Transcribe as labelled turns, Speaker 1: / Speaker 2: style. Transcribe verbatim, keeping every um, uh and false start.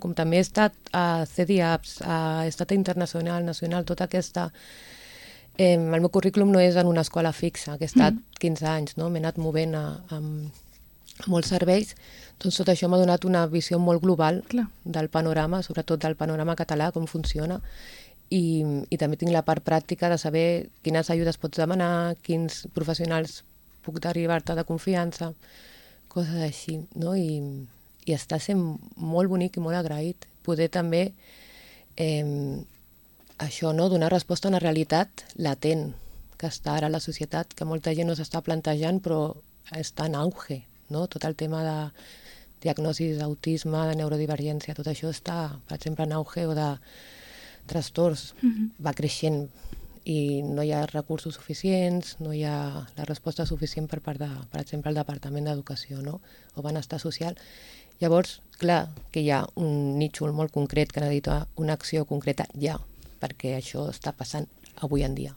Speaker 1: com també he estat a C D I A P S, he estat a Internacional, Nacional, tota aquesta... Eh, el meu currículum no és en una escola fixa, que he estat mm. quinze anys, no? M'he anat movent a, a, a molts serveis, doncs tot això m'ha donat una visió molt global Clar. del panorama, sobretot del panorama català, com funciona, i, i també tinc la part pràctica de saber quines ajudes pots demanar, quins professionals puc derivar-te de confiança, coses així, no? I, i està sent molt bonic i molt agraït poder també eh, això, no? Donar resposta a una realitat latent que està ara a la societat, que molta gent no s'està plantejant però està en auge, no? Tot el tema de diagnosis d'autisme, de neurodivergència, tot això està, per exemple, en auge, o de trastorns, mm-hmm. va creixent i no hi ha recursos suficients, no hi ha la resposta suficient per part de, per exemple, el Departament d'Educació, no? O Benestar Social. Llavors, clar, que hi ha un nítxol molt concret que necessita una acció concreta ja, perquè això està passant avui en dia.